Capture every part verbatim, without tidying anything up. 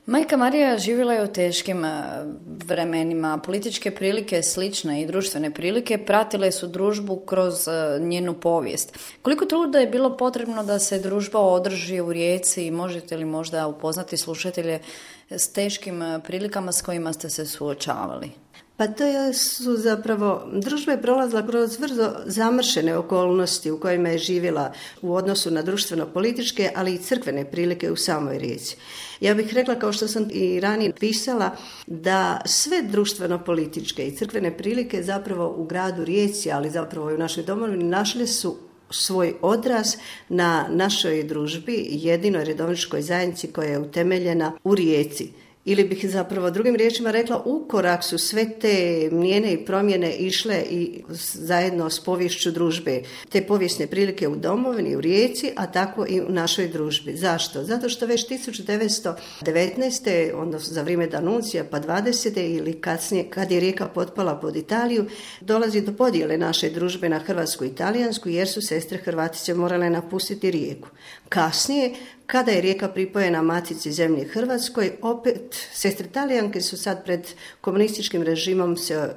Majka Marija živjela je u teškim vremenima, političke prilike slične i društvene prilike pratile su družbu kroz njenu povijest. Koliko truda je bilo potrebno da se družba održi u Rijeci i možete li možda upoznati slušatelje s teškim prilikama s kojima ste se suočavali? Pa to su zapravo, družba je prolazila kroz vrlo zamršene okolnosti u kojima je živjela u odnosu na društveno-političke, ali i crkvene prilike u samoj Rijeci. Ja bih rekla, kao što sam i ranije pisala, da sve društveno-političke i crkvene prilike zapravo u gradu Rijeci, ali zapravo i u našoj domovini, našle su svoj odraz na našoj družbi, jedinoj redovničkoj zajednici koja je utemeljena u Rijeci. Ili bih zapravo drugim riječima rekla, u korak su sve te mijene i promjene išle i zajedno s poviješću družbe. Te povijesne prilike u domovini, u Rijeci, a tako i u našoj družbi. Zašto? Zato što već tisuću devetsto devetnaeste. odnosno za vrijeme Danuncija pa dvadesete ili kasnije, kad je Rijeka potpala pod Italiju, dolazi do podjele naše družbe na hrvatsku i italijansku, jer su sestre Hrvatice morale napustiti Rijeku. Kasnije, kada je Rijeka pripojena matici zemlji Hrvatskoj, opet sestre Talijanke su sad pred komunističkim režimom se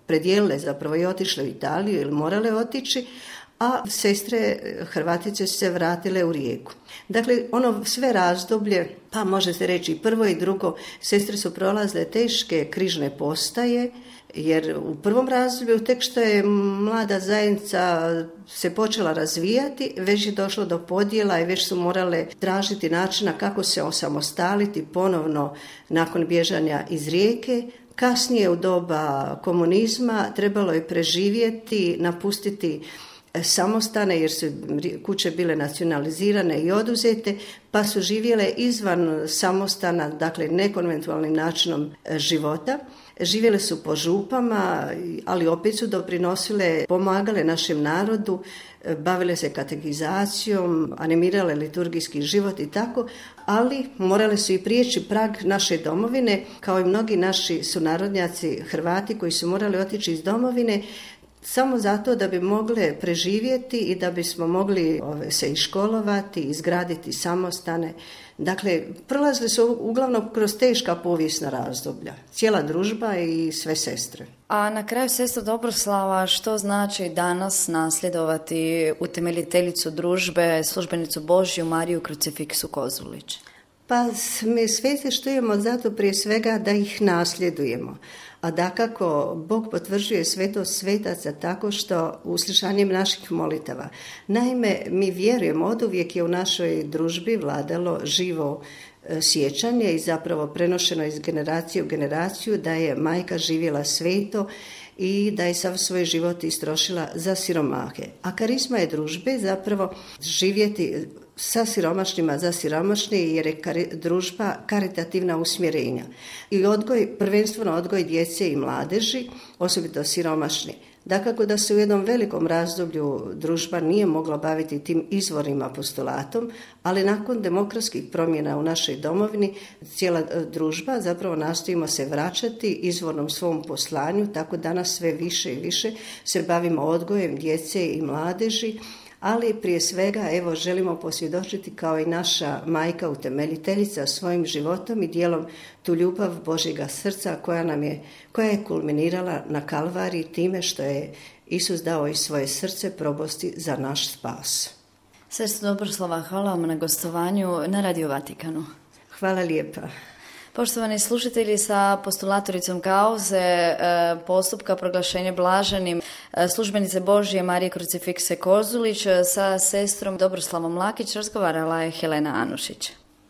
predijelile zapravo i otišle u Italiju ili morale otići, a sestre Hrvatice su se vratile u Rijeku. Dakle, ono sve razdoblje, pa može se reći i prvo i drugo, sestre su prolazile teške križne postaje, jer u prvom razdoblju, tek što je mlada zajednica se počela razvijati, već je došlo do podjela i već su morale tražiti načina kako se osamostaliti ponovno nakon bježanja iz Rijeke. Kasnije u doba komunizma trebalo je preživjeti, napustiti samostane jer su kuće bile nacionalizirane i oduzete, pa su živjele izvan samostana, dakle nekonventualnim načinom života. Živjele su po župama, ali opet su doprinosile, pomagale našem narodu, bavile se katekizacijom, animirale liturgijski život i tako, ali morale su i prijeći prag naše domovine, kao i mnogi naši sunarodnjaci Hrvati koji su morali otići iz domovine, samo zato da bi mogle preživjeti i da bismo mogli ove, se iškolovati, izgraditi samostane. Dakle, prolazili su uglavnom kroz teška povijesna razdoblja. Cijela družba i sve sestre. A na kraju, sestra Dobroslava, što znači danas nasljedovati utemeljiteljicu družbe, službenicu Božju Mariju Krucifiksu Kozulić? Pa mi svijesti štujemo zato prije svega da ih nasljedujemo. A dakako, Bog potvrđuje svetost svetaca tako što uslišanjem naših molitava. Naime, mi vjerujemo, oduvijek je u našoj družbi vladalo živo sjećanje i zapravo prenošeno iz generacije u generaciju da je majka živjela sveto i da je sav svoj život istrošila za siromahe. A karizma je družbe zapravo živjeti sa siromašnima za siromašni, jer je kari, družba karitativna usmjerenja. I odgoj, prvenstveno odgoj djece i mladeži, osobito siromašni. Dakako da se u jednom velikom razdoblju družba nije mogla baviti tim izvornim apostolatom, ali nakon demokratskih promjena u našoj domovini cijela družba zapravo nastojimo se vraćati izvornom svom poslanju, tako danas sve više i više se bavimo odgojem djece i mladeži, ali prije svega evo želimo posvjedočiti kao i naša majka utemeljiteljica svojim životom i dijelom tu ljubav Božjega srca koja nam je, koja je kulminirala na Kalvariji time što je Isus dao i svoje srce probosti za naš spas. Sestra Dobroslava, hvala vam na gostovanju na Radio Vatikanu. Hvala lijepa. Poštovani slušatelji, sa postulatoricom kauze postupka proglašenja blaženim službenice Božje Marije Krucifikse Kozulić sa sestrom Dobroslavom Lakić razgovarala je Helena Anušić.